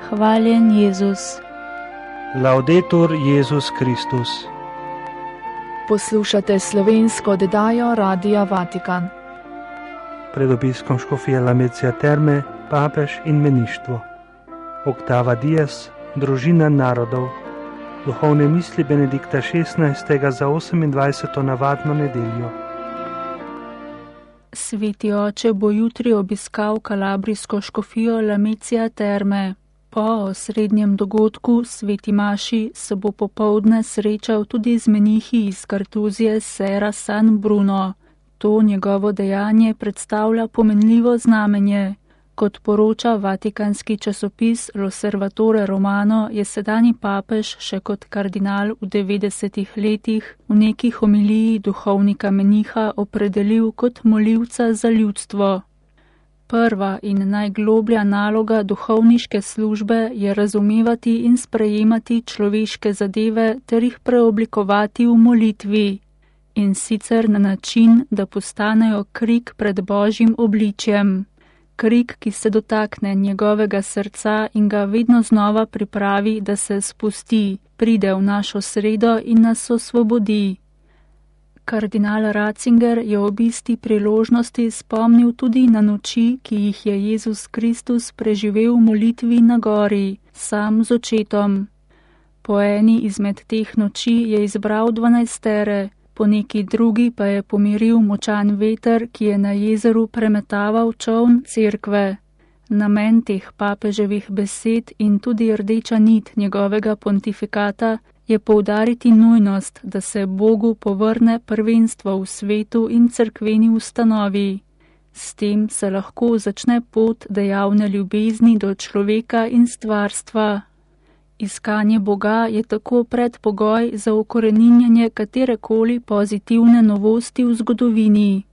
Hvaljen Jezus. Laudetur Jezus Kristus. Poslušate slovensko oddajo Radia Vatikan. Pred obiskom škofije Lamezia Terme, papež in meništvo. Oktava Dies, družina narodov. Duhovne misli Benedikta XVI. Za 28. navadno nedeljo. Sveti oče bo jutri obiskal kalabrijsko škofijo Lamezia Terme. Po osrednjem dogodku, sveti maši, se bo popoldne srečal tudi z menihi iz Kartuzije Serra San Bruno. To njegovo dejanje predstavlja pomenljivo znamenje. Kot poroča vatikanski časopis L'Osservatore Romano, je sedanji papež še kot kardinal v 90 letih v neki homiliji duhovnika meniha opredelil kot molivca za ljudstvo. Prva in najgloblja naloga duhovniške službe je razumevati in sprejemati človeške zadeve ter jih preoblikovati v molitvi, in sicer na način, da postanejo krik pred Božjim obličjem. Krik, ki se dotakne njegovega srca in ga vedno znova pripravi, da se spusti, pride v našo sredo in nas osvobodi. Kardinal Ratzinger je ob isti priložnosti spomnil tudi na noči, ki jih je Jezus Kristus preživel v molitvi na gori, sam z očetom. Po eni izmed teh noči je izbral 12, po neki drugi pa je pomiril močan veter, ki je na jezeru premetaval čoln cerkve. Namen teh papeževih besed in tudi rdeča nit njegovega pontifikata je poudariti nujnost, da se Bogu povrne prvenstvo v svetu in cerkveni ustanovi. S tem se lahko začne pot dejavne ljubezni do človeka in stvarstva. Iskanje Boga je tako predpogoj za ukoreninjanje katerekoli pozitivne novosti v zgodovini.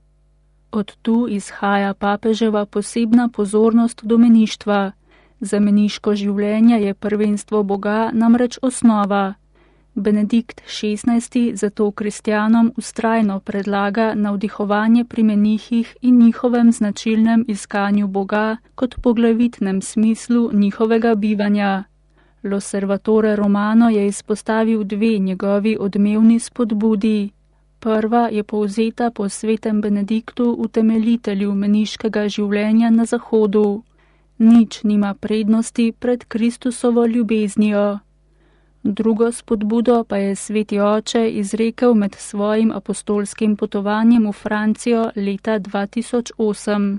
Od tu izhaja papeževa posebna pozornost do meništva. Za meniško življenje je prvenstvo Boga namreč osnova. Benedikt XVI. Zato kristjanom vztrajno predlaga navdihovanje pri menihih in njihovem značilnem iskanju Boga kot poglavitnem smislu njihovega bivanja. L'Osservatore Romano je izpostavil dve njegovi odmevni spodbudi. Prva je povzeta po svetem Benediktu, utemeljitelju meniškega življenja na Zahodu. Nič nima prednosti pred Kristusovo ljubeznijo. Drugo spodbudo pa je sveti oče izrekel med svojim apostolskim potovanjem v Francijo leta 2008.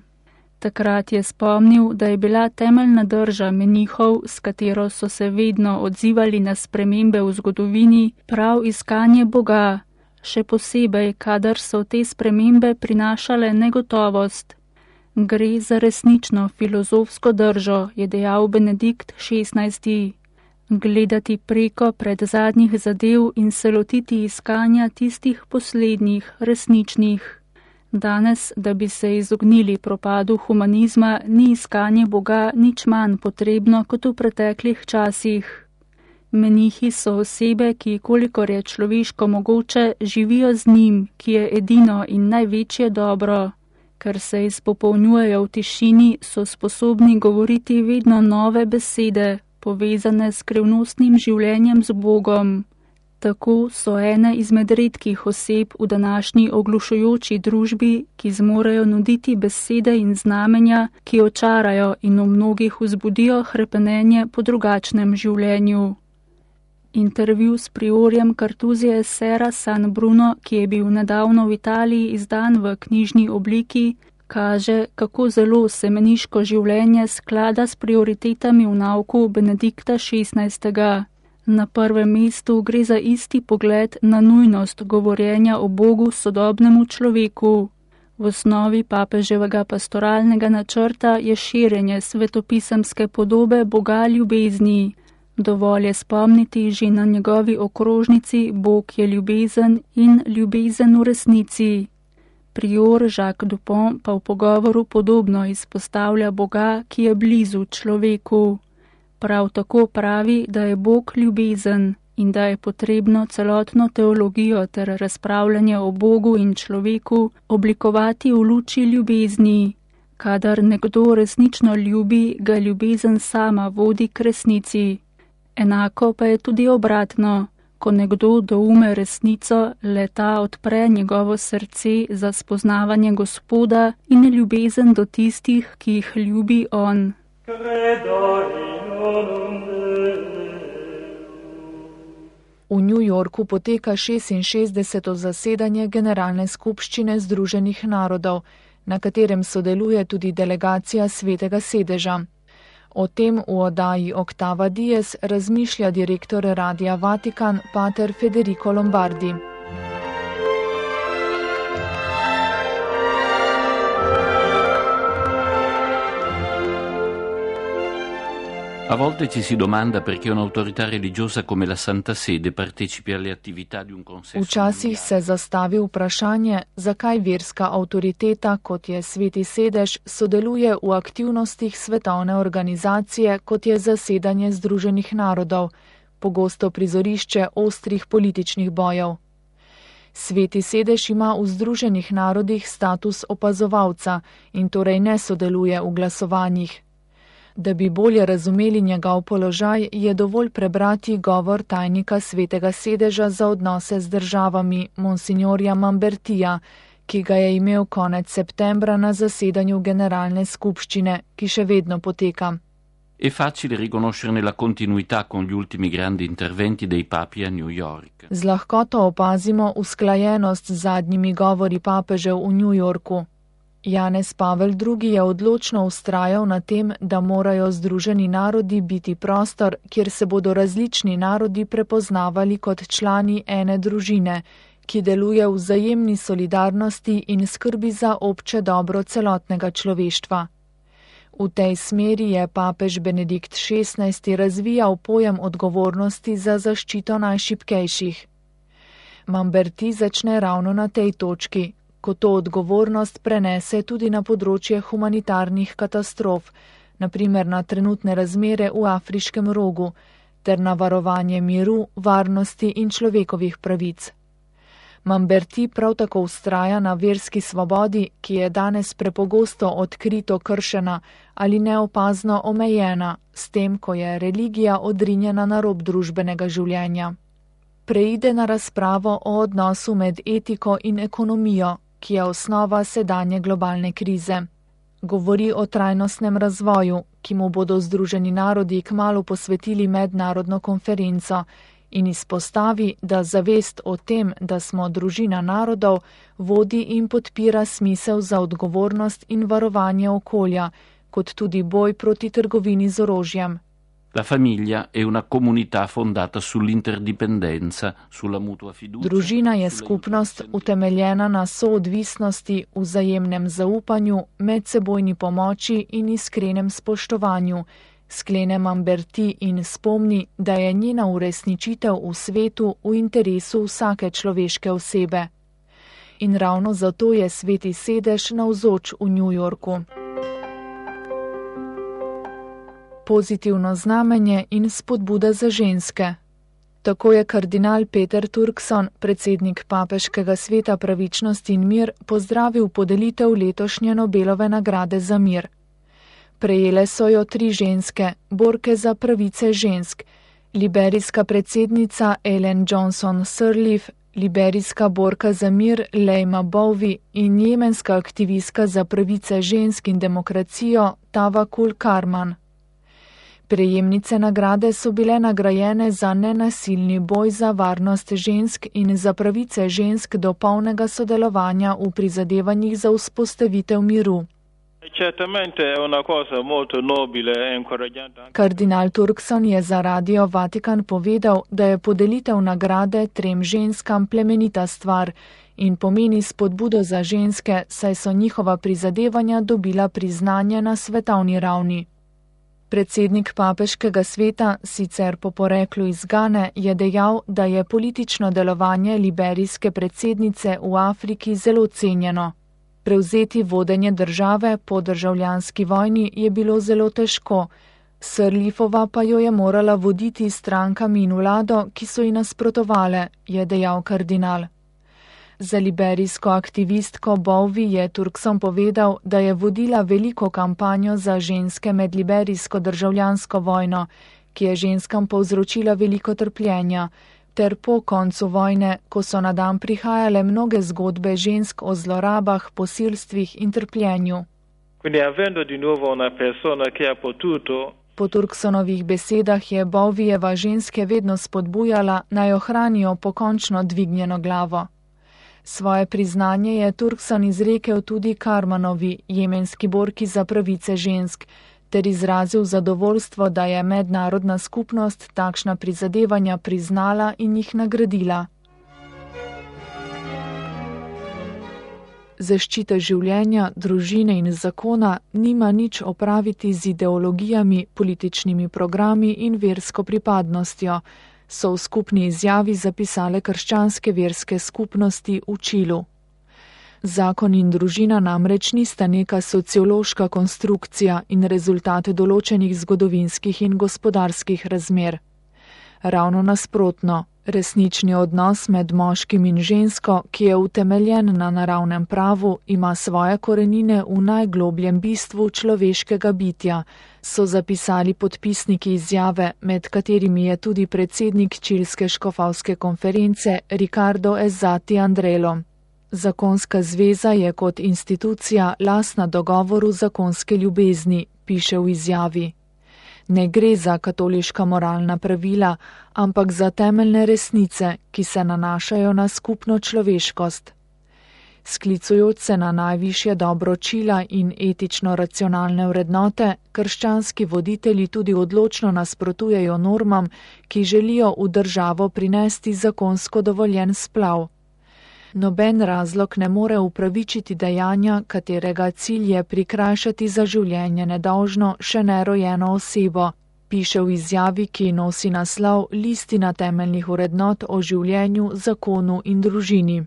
Takrat je spomnil, da je bila temeljna drža menihov, s katero so se vedno odzivali na spremembe v zgodovini, prav iskanje Boga, še posebej, kadar so te spremembe prinašale negotovost. Gre za resnično filozofsko držo, je dejal Benedikt XVI. Gledati preko pred zadnjih zadev in se lotiti iskanja tistih poslednjih, resničnih. Danes, da bi se izognili propadu humanizma, ni iskanje Boga nič manj potrebno kot v preteklih časih. Menihi so osebe, ki, kolikor je človeško mogoče, živijo z njim, ki je edino in največje dobro. Ker se izpopolnjujejo v tišini, so sposobni govoriti vedno nove besede, povezane s skrivnostnim življenjem z Bogom. Tako so ene izmed redkih oseb v današnji oglušujoči družbi, ki zmorejo nuditi besede in znamenja, ki očarajo in v mnogih vzbudijo hrepenenje po drugačnem življenju. Intervju s priorjem Kartuzije Serra San Bruno, ki je bil nedavno v Italiji izdan v knjižni obliki, kaže, kako zelo se meniško življenje sklada s prioritetami v nauku Benedikta XVI. Na prvem mestu gre za isti pogled na nujnost govorjenja o Bogu sodobnemu človeku. V osnovi papeževega pastoralnega načrta je širjenje svetopisemske podobe Boga ljubezni. Dovolj je spomniti že na njegovi okrožnici Bog je ljubezen in ljubezen v resnici. Prior Jacques Dupont pa v pogovoru podobno izpostavlja Boga, ki je blizu človeku. Prav tako pravi, da je Bog ljubezen in da je potrebno celotno teologijo ter razpravljanje o Bogu in človeku oblikovati v luči ljubezni. Kadar nekdo resnično ljubi, ga ljubezen sama vodi k resnici. Enako pa je tudi obratno. Ko nekdo doume resnico, le ta odpre njegovo srce za spoznavanje Gospoda in ljubezen do tistih, ki jih ljubi on. V New Yorku poteka 66. zasedanje Generalne skupščine Združenih narodov, na katerem sodeluje tudi delegacija Svetega sedeža. O tem v oddaji Octava Dies razmišlja direktor Radia Vatikan, pater Federico Lombardi. A volte ci si domanda perché un'autorità religiosa come la Santa Sede partecipi alle attività di un consesso. Včasih se zastavi vprašanje, zakaj verska avtoriteta, kot je Sveti sedež, sodeluje v aktivnostih svetovne organizacije, kot je zasedanje Združenih narodov, pogosto prizorišče ostrih političnih bojev. Sveti sedež ima v Združenih narodih status opazovalca in torej ne sodeluje v glasovanjih. Da bi bolje razumeli njegov položaj, je dovolj prebrati govor tajnika Svetega sedeža za odnose z državami, monsignorja Mambertija, ki ga je imel konec septembra na zasedanju Generalne skupščine, ki še vedno poteka. È facile riconoscerne la continuità con gli ultimi grandi interventi dei papi a New York. Z lahkoto opazimo usklajenost z zadnjimi govori papežev v New Yorku. Janez Pavel II. Je odločno vztrajal na tem, da morajo Združeni narodi biti prostor, kjer se bodo različni narodi prepoznavali kot člani ene družine, ki deluje v vzajemni solidarnosti in skrbi za obče dobro celotnega človeštva. V tej smeri je papež Benedikt XVI. Razvijal pojem odgovornosti za zaščito najšibkejših. Mamberti začne ravno na tej točki, ko to odgovornost prenese tudi na področje humanitarnih katastrof, naprimer na trenutne razmere v Afriškem rogu, ter na varovanje miru, varnosti in človekovih pravic. Mamberti prav tako vztraja na verski svobodi, ki je danes prepogosto odkrito kršena ali neopazno omejena, s tem, ko je religija odrinjena na rob družbenega življenja. Preide na razpravo o odnosu med etiko in ekonomijo, ki je osnova sedanje globalne krize. Govori o trajnostnem razvoju, ki mu bodo Združeni narodi kmalu posvetili mednarodno konferenco, in izpostavi, da zavest o tem, da smo družina narodov, vodi in podpira smisel za odgovornost in varovanje okolja, kot tudi boj proti trgovini z orožjem. La famiglia è una comunità fondata sull'interdipendenza, sulla mutua fiducia. Družina je skupnost utemeljena na soodvisnosti, vzajemnem zaupanju, medsebojni pomoči in iskrenem spoštovanju, sklene Mamberti in spomni, da je njena uresničitev v svetu v interesu vsake človeške osebe. In ravno zato je Sveti sedež navzoč v New Yorku. Pozitivno znamenje in spodbuda za ženske. Tako je kardinal Peter Turkson, predsednik Papeškega sveta pravičnost in mir, pozdravil podelitev letošnje Nobelove nagrade za mir. Prejele so jo 3 ženske, borke za pravice žensk, liberijska predsednica Ellen Johnson Sirleaf, liberijska borka za mir Leima Bowie in jemenska aktivistka za pravice žensk in demokracijo Tawakkul Karman. Prejemnice nagrade so bile nagrajene za nenasilni boj za varnost žensk in za pravice žensk do polnega sodelovanja v prizadevanjih za vzpostavitev miru. Kardinal Turkson je za Radio Vatikan povedal, da je podelitev nagrade 3 ženskam plemenita stvar in pomeni spodbudo za ženske, saj so njihova prizadevanja dobila priznanje na svetovni ravni. Predsednik Papeškega sveta, sicer po poreklu iz Gane, je dejal, da je politično delovanje liberijske predsednice v Afriki zelo cenjeno. Prevzeti vodenje države po državljanski vojni je bilo zelo težko, Sirleafova pa jo je morala voditi strankami in vlado, ki so ji nasprotovale, je dejal kardinal. Za liberijsko aktivistko Bowie je Turkson povedal, da je vodila veliko kampanjo za ženske med liberijsko državljansko vojno, ki je ženskam povzročila veliko trpljenja, ter po koncu vojne, ko so na dan prihajale mnoge zgodbe žensk o zlorabah, posilstvih in trpljenju. Po Turksonovih besedah je Bowiejeva ženske vedno spodbujala, naj ohranijo pokončno dvignjeno glavo. Svoje priznanje je Turkson izrekel tudi Karmanovi, jemenski borki za pravice žensk, ter izrazil zadovoljstvo, da je mednarodna skupnost takšna prizadevanja priznala in jih nagradila. Zaščita življenja, družine in zakona nima nič opraviti z ideologijami, političnimi programi in versko pripadnostjo, so v skupni izjavi zapisale krščanske verske skupnosti v Čilu. Zakon in družina namreč nista neka sociološka konstrukcija in rezultat določenih zgodovinskih in gospodarskih razmer. Ravno nasprotno, resnični odnos med moškim in žensko, ki je utemeljen na naravnem pravu, ima svoje korenine v najglobljem bistvu človeškega bitja, so zapisali podpisniki izjave, med katerimi je tudi predsednik Čilske škofovske konference Ricardo Ezzati Andrelo. Zakonska zveza je kot institucija lastna dogovoru zakonske ljubezni, piše v izjavi. Ne gre za katoliška moralna pravila, ampak za temeljne resnice, ki se nanašajo na skupno človeškost. Sklicujoč se na najvišje dobro Čila in etično racionalne vrednote, krščanski voditelji tudi odločno nasprotujejo normam, ki želijo v državo prinesti zakonsko dovoljen splav. Noben razlog ne more upravičiti dejanja, katerega cilj je prikrajšati za življenje nedolžno še nerojeno osebo, piše v izjavi, ki nosi naslov Listina temeljnih vrednot o življenju, zakonu in družini.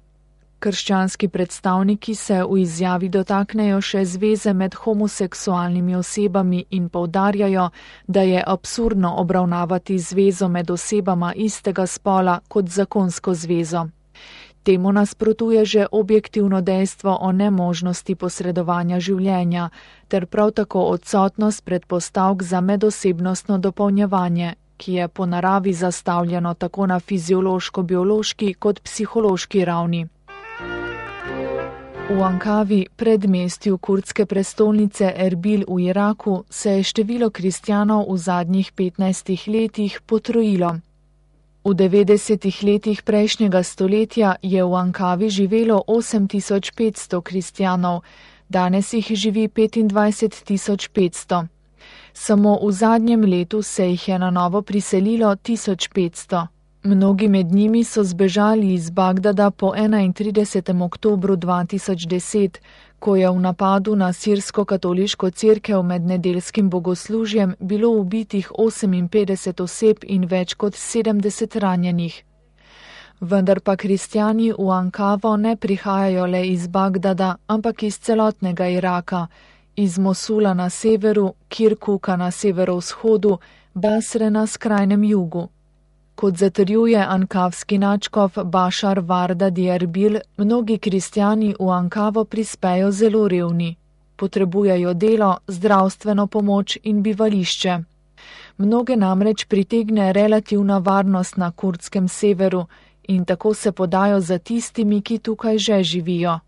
Krščanski predstavniki se v izjavi dotaknejo še zveze med homoseksualnimi osebami in poudarjajo, da je absurdno obravnavati zvezo med osebama istega spola kot zakonsko zvezo. Temu nasprotuje že objektivno dejstvo o nemožnosti posredovanja življenja, ter prav tako odsotnost predpostavk za medosebnostno dopolnjevanje, ki je po naravi zastavljeno tako na fiziološko-biološki kot psihološki ravni. V Ankavi, predmestju kurdske prestolnice Erbil v Iraku, se je število kristjanov v zadnjih 15 letih potrojilo. V 90 letih prejšnjega stoletja je v Ankavi živelo 8500 kristjanov, danes jih živi 25500. Samo v zadnjem letu se jih je na novo priselilo 1500. Mnogi med njimi so zbežali iz Bagdada po 31. oktobru 2010, ko je v napadu na sirsko-katoliško cerkev med nedeljskim bogoslužjem bilo ubitih 58 oseb in več kot 70 ranjenih. Vendar pa kristjani v Ankavo ne prihajajo le iz Bagdada, ampak iz celotnega Iraka, iz Mosula na severu, Kirkuka na severovzhodu, Basre na skrajnem jugu. Kot zatrjuje ankavski nadškof Bašar Varda Dierbil, mnogi kristjani v Ankavo prispejo zelo revni. Potrebujejo delo, zdravstveno pomoč in bivališče. Mnoge namreč pritegne relativna varnost na kurdskem severu in tako se podajo za tistimi, ki tukaj že živijo.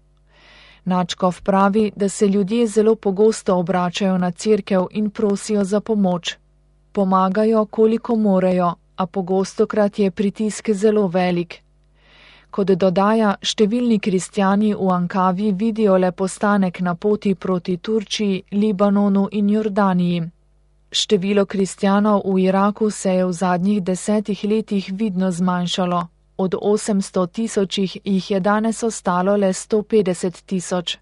Nadškof pravi, da se ljudje zelo pogosto obračajo na cerkev in prosijo za pomoč. Pomagajo, koliko morejo, a pogostokrat je pritisk zelo velik. Kot dodaja, številni kristjani v Ankavi vidijo le postanek na poti proti Turčiji, Libanonu in Jordaniji. Število kristjanov v Iraku se je v zadnjih 10 letih vidno zmanjšalo. Od 800 tisočih jih je danes ostalo le 150 tisoč.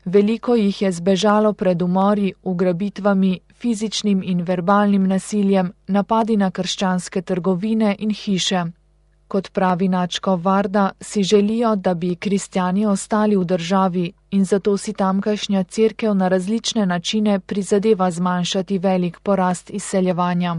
Veliko jih je zbežalo pred umori, ugrabitvami, fizičnim in verbalnim nasiljem, napadi na krščanske trgovine in hiše. Kot pravi nadškof Varda, si želijo, da bi kristjani ostali v državi in zato si tamkajšnja cerkev na različne načine prizadeva zmanjšati velik porast izseljevanja.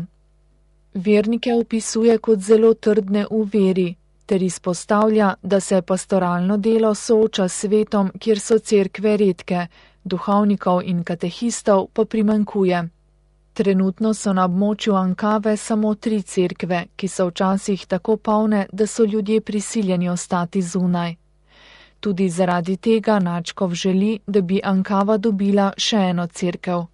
Vernike opisuje kot zelo trdne v veri. ter izpostavlja, da se pastoralno delo sooča s svetom, kjer so cerkve redke, duhovnikov in katehistov pa primanjkuje. Trenutno so na območju Ankave samo 3 cerkve, ki so včasih tako polne, da so ljudje prisiljeni ostati zunaj. Tudi zaradi tega nadškof želi, da bi Ankava dobila še eno cerkev.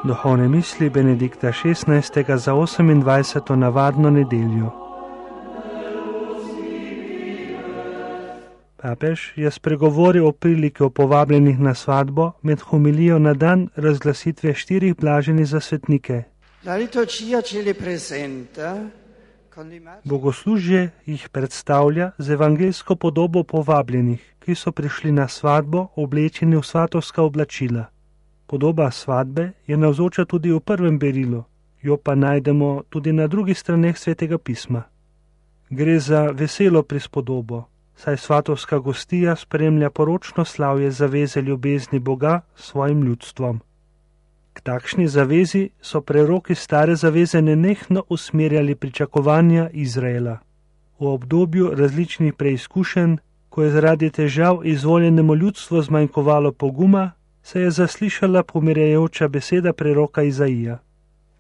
Duhovne misli Benedikta XVI. Za 28. navadno nedeljo. Papež je spregovoril o priliki o povabljenih na svadbo med homilijo na dan razglasitve 4 blaženih za svetnike. Bogoslužje jih predstavlja z evangeljsko podobo povabljenih, ki so prišli na svadbo oblečeni v svatovska oblačila. Podoba svadbe je navzoča tudi v prvem berilu, jo pa najdemo tudi na drugih straneh Svetega pisma. Gre za veselo prispodobo, saj svatovska gostija spremlja poročno slavje zaveze ljubezni Boga s svojim ljudstvom. K takšni zavezi so preroki stare zaveze nenehno usmerjali pričakovanja Izraela. V obdobju različnih preizkušenj, ko je zaradi težav izvoljenemu ljudstvu zmanjkovalo poguma, se je zaslišala pomirjajoča beseda preroka Izaija.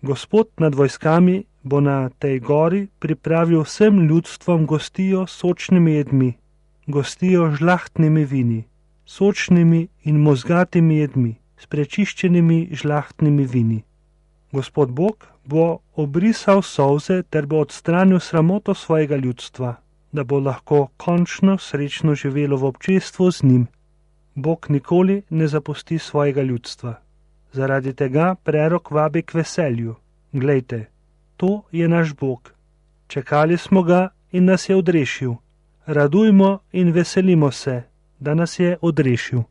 Gospod nad vojskami bo na tej gori pripravil vsem ljudstvom gostijo s sočnimi jedmi, gostijo žlahtnimi vini, sočnimi in mozgatimi jedmi, s prečiščenimi žlahtnimi vini. Gospod Bog bo obrisal solze ter bo odstranil sramoto svojega ljudstva, da bo lahko končno srečno živelo v občestvu z njim. Bog nikoli ne zapusti svojega ljudstva. Zaradi tega prerok vabi k veselju. Glejte, to je naš Bog. Čakali smo ga in nas je odrešil. Radujmo in veselimo se, da nas je odrešil.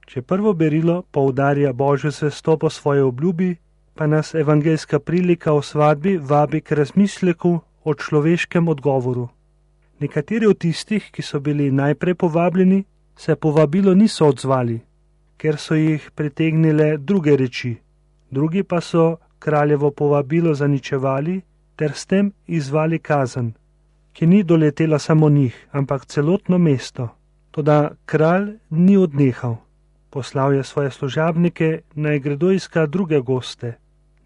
Če prvo berilo poudarja Božjo zvestobo svoje obljubi, pa nas evangeljska prilika o svadbi vabi k razmisleku o človeškem odgovoru. Nekateri od tistih, ki so bili najprej povabljeni, se povabilo niso odzvali, ker so jih pritegnile druge reči. Drugi pa so kraljevo povabilo zaničevali ter s tem izvali kazen, ki ni doletela samo njih, ampak celotno mesto. Toda kralj ni odnehal. Poslal je svoje služabnike, naj gredo iskat druge goste,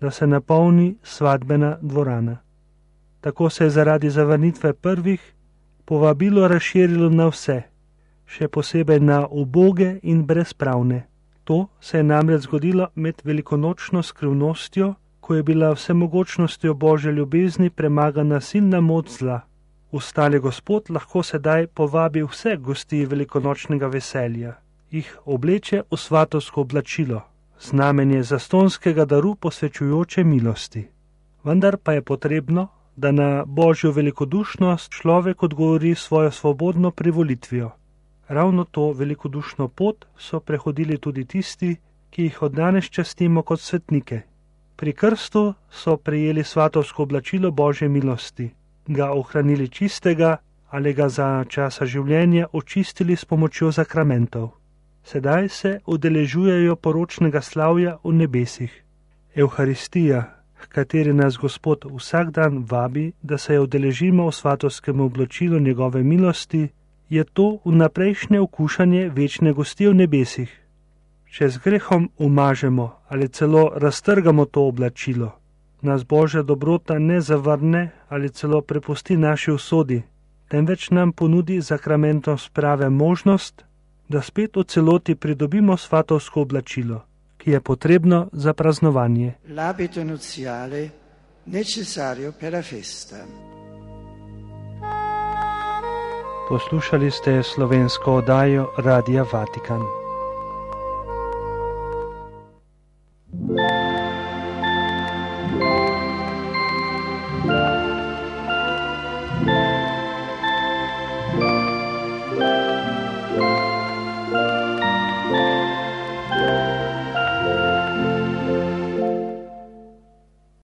da se napolni svadbena dvorana. Tako se je zaradi zavrnitve prvih povabilo razširilo na vse, še posebej na uboge in brezpravne. To se je namreč zgodilo med velikonočno skrivnostjo, ko je bila vsemogočnostjo Božje ljubezni premagana silna moč zla. Ustali Gospod lahko sedaj povabi vse gosti velikonočnega veselja, jih obleče v svatovsko oblačilo, znamenje zastonskega daru posvečujoče milosti. Vendar pa je potrebno, da na Božjo velikodušnost človek odgovori svojo svobodno privolitvijo. Ravno to velikodušno pot so prehodili tudi tisti, ki jih od danes častimo kot svetnike. Pri krstu so prejeli svatovsko oblačilo Božje milosti, ga ohranili čistega ali ga za časa življenja očistili s pomočjo sakramentov. Sedaj se udeležujejo poročnega slavja v nebesih. Evharistija, h kateri nas Gospod vsak dan vabi, da se jo udeležimo v svatovskem oblačilu njegove milosti, je to vnaprejšnje okušanje večne gosti v nebesih. Če z grehom umažemo ali celo raztrgamo to oblačilo, nas Božja dobrota ne zavrne ali celo prepusti naši usodi, temveč nam ponudi sakramentom sprave možnost, da spet v celoti pridobimo svatovsko oblačilo, ki je potrebno za praznovanje. L'abito nuziale necessario per la festa. Poslušali ste slovensko oddajo Radia Vatikan.